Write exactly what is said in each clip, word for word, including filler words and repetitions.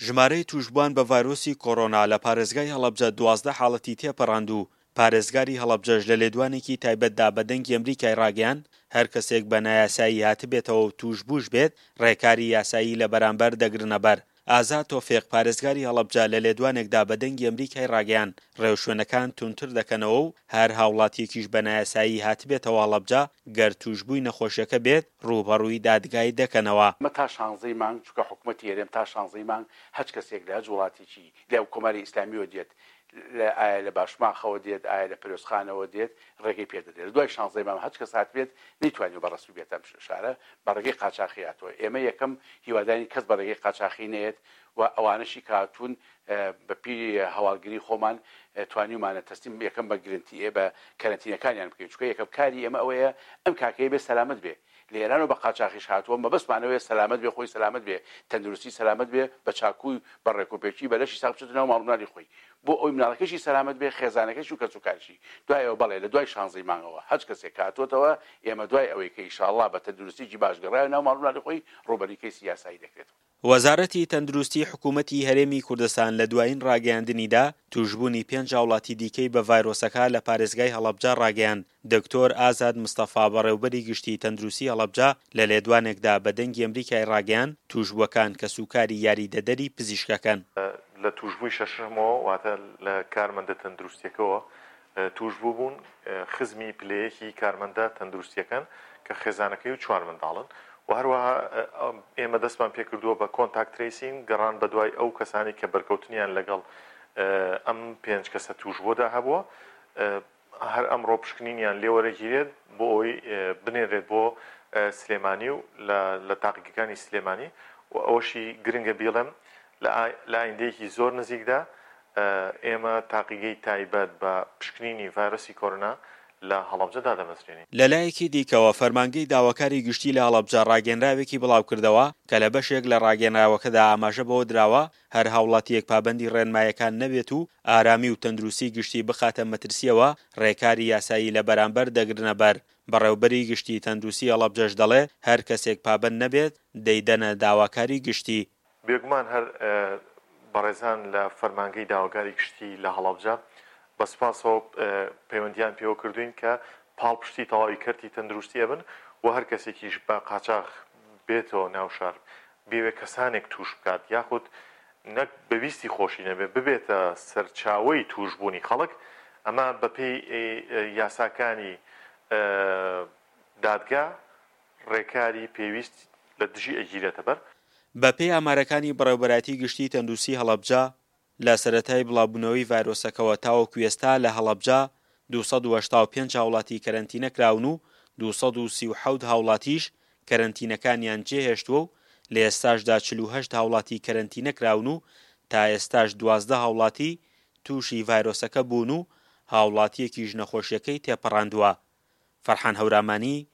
ژمارەی تووشبووان بە ڤایرۆسی کۆرۆنا لە پارێزگای هەڵەبجە دوازدە حاڵەتی تێپەڕاند و پارێزگاری هەڵەبجەش لە لێدوانێکی تایبەتدا بە دەنگی ئەمریکای ڕاگەیاند، هەر کەسێک بە نایاسایی هاتبێتەوە و تووشبووش بێت ڕێکاری یاسایی لە بەرامبەر دەگرنەبەر. ئازاد تۆفیق، پارێزگاری هەڵەبجە لە لێدوانێکدا بە دەنگی ئەمریکای ڕاگەیاند، ڕێوشوێنەکان توندتر دەکەنەوە و هەر هاوڵاتیەکیش بە نایاسایی هاتبێتەوە هەڵەبجە گەر تووشبووی نەخۆشیەکە بێت ڕووبەڕووی دادگای دەکەنەوە. ئەمە تا شانزەی مانگ، چونکە حکومەتی هەرێم تا شانزەی مانگ هەچ کەسێک لە هەچ وڵاتێکی لە کۆماری ئیسلامیەوە دێت، لە ئایا لە باشماخەوە دێت، ئایا لە پەروێزخانەوە دێت، ڕێگەی پێ دەدرێت. لە دوای شانزەی مانگ هەچ کەس هاتبێت نەیتوانیوە بە ڕەسمی بێتە ئەم شارە، بە ڕێگەی قاچاخی هاتووە. ئێمە یەکەم هیوادارین کەس بە ڕێگەی قاچاخی نەیەت و ئەوانەشی کە هاتوون بە پێی هەواڵگری خۆمان توانیومانە تەسلیم یەکەم بە گرنتی بە کەرەنتینەکانیان بکەین، چونکە یەکەم کاری ئێمە ئەوەیە ئەم کاکەیە بێ سەلامەت بێ. لە ئێرانەوە بە قاچاخیش هاتووە، مەبەستمان ئەوەیە سەلامەت بێ، خۆی سەلامەت بێ، تەندروستی سەلامەت بێ، بە چاکووی بە ڕێکوپێکی بە لەشی ساغ بچێتە ناو ماڵ و مناڵی خۆی، بۆ ئەوەی مناڵەکەشی سەلامەت بێ، خێزانەکەشی و کەسوکارشی. دوای ئەوە بەڵێ لە دوای شانزەی مانگەوە هەچ کەسێک کە هاتووەتەوە، ئێمە دوای ئەوەی کە ئیشاڵڵا بە تەندروستیی باش گەڕایە ناو ماڵ و مناڵی خۆی، ڕووبەرووی کەیسی یاسایی دەکرێتەوە. وەزارەتی تەندروستی حکوومەتی هەرێمی کوردستان لە دوایین ڕاگەیاندنیدا تووشبوونی پێنج هاوڵاتی دیکەی بە ڤایرۆسەکە لە پارێزگای هەڵەبجە ڕاگەیاند. دکتۆر ئازاد مستەفا بەڕێوبەری گشتی تەندروستی هەڵەبجە لە لێدوانێکدا بە دەنگی ئەمریکای ڕاگەیاند، تووشبووەکان کەسوکاری یاریدەدەری پزیشکەکەن. لە تووشبووی شەشەمەوە واتە لە کارمەندە تەندروستیەکەوە تووشبوو بوون، خزمی پلەیەکی کارمەندە تەندروستیەکەن کە خێزانەکەی و چوار منداڵن و هەروەها ئێمە دەستمان پێکردووە بە contact tracing، گەڕان بەدوای ئەو کەسانی کە بەرکەوتنیان لەگەڵ ئەم پێنج کەسە تووشبوودا هەبووە. هەر ئەمڕۆ پشکنینیان لێوەرەگیرێت بۆ ئەوەی بنێرێت بۆ سلێمانی و لە تاقیگەکانی سلێمانی. و ئەوەشی گرنگە بیڵێم لە ئایندەیەکی زۆر نزیکدا ئێمە تاقیگەی تایبەت بە پشکنینی ڤایرۆسی کۆرۆنا لە هەڵەبجە دادەمەزرێنین. لەلایەکی دیکەوە، فەرمانگەی داواکاری گشتی لە هەڵەبجە ڕاگەیەنراوێکی بڵاوکردەوە کە لە بەشێک لە ڕاگەیەنراوەکەدا ئاماژە بەوە دراوە، هەر هاوڵاتییەک پابەندی ڕێنمایەکان نەبێت و ئارامی و تەندروستی گشتی بخاتە مەترسییەوە، ڕێکاری یاسایی لە بەرامبەر دەگرنەبەر. بەڕێوبەری گشتی تەندروستی هەڵەبجەش دەڵێ، هەر کەسێک پابەند نەبێت، دەیدەنە داواکاری گشتی. بێگومان هەر بەڕێزان لە فەرمانگەی داواکاری گشتی لە هەڵەبجە بە سوپاسەوە پەیوەندیان پێوە کردوین کە پاڵپشتی تەواوی کەرتی تەندروستی ئەبن و هەر کەسێکیش بە قاچاخ بێتەوە ناو شار بێوێ کەسانێک توش بکات یاخود نەک بەویستی خۆشی نەبێ ببێتە سەرچاوەی توشبوونی خەڵک، ئەمە بەپێی یاساکانی دادگا ڕێکاری پێویست لە دژی ئەگیرێتە بەر. بەپێی ئامارەکانی بەڕێوبەرایەتی گشتی تەندروستی هەڵەبجە، لە سەرەتای بڵاوبوونەوەی ڤایرۆسەکەوە تاوەکو ئێستا لە هەڵەبجە دوو سەد و هەشتا و پێنج هاوڵاتی کەرەنتینە کراون و دوو سەد و سی و حەوت هاوڵاتیش کەرەنتینەکانیان جێهێشتووە و لە ئێستاشدا چل و هەشت هاوڵاتی کەرەنتینە کراون و تا ئێستاش دوازدە هاوڵاتی تووشی ڤایرۆسەکە بوون و هاوڵاتییەکیش نەخۆشیەکەی تێپەڕاندووە. فەرحان هەورامانی،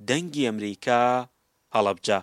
دەنگی ئەمریکا، هەڵەبجە.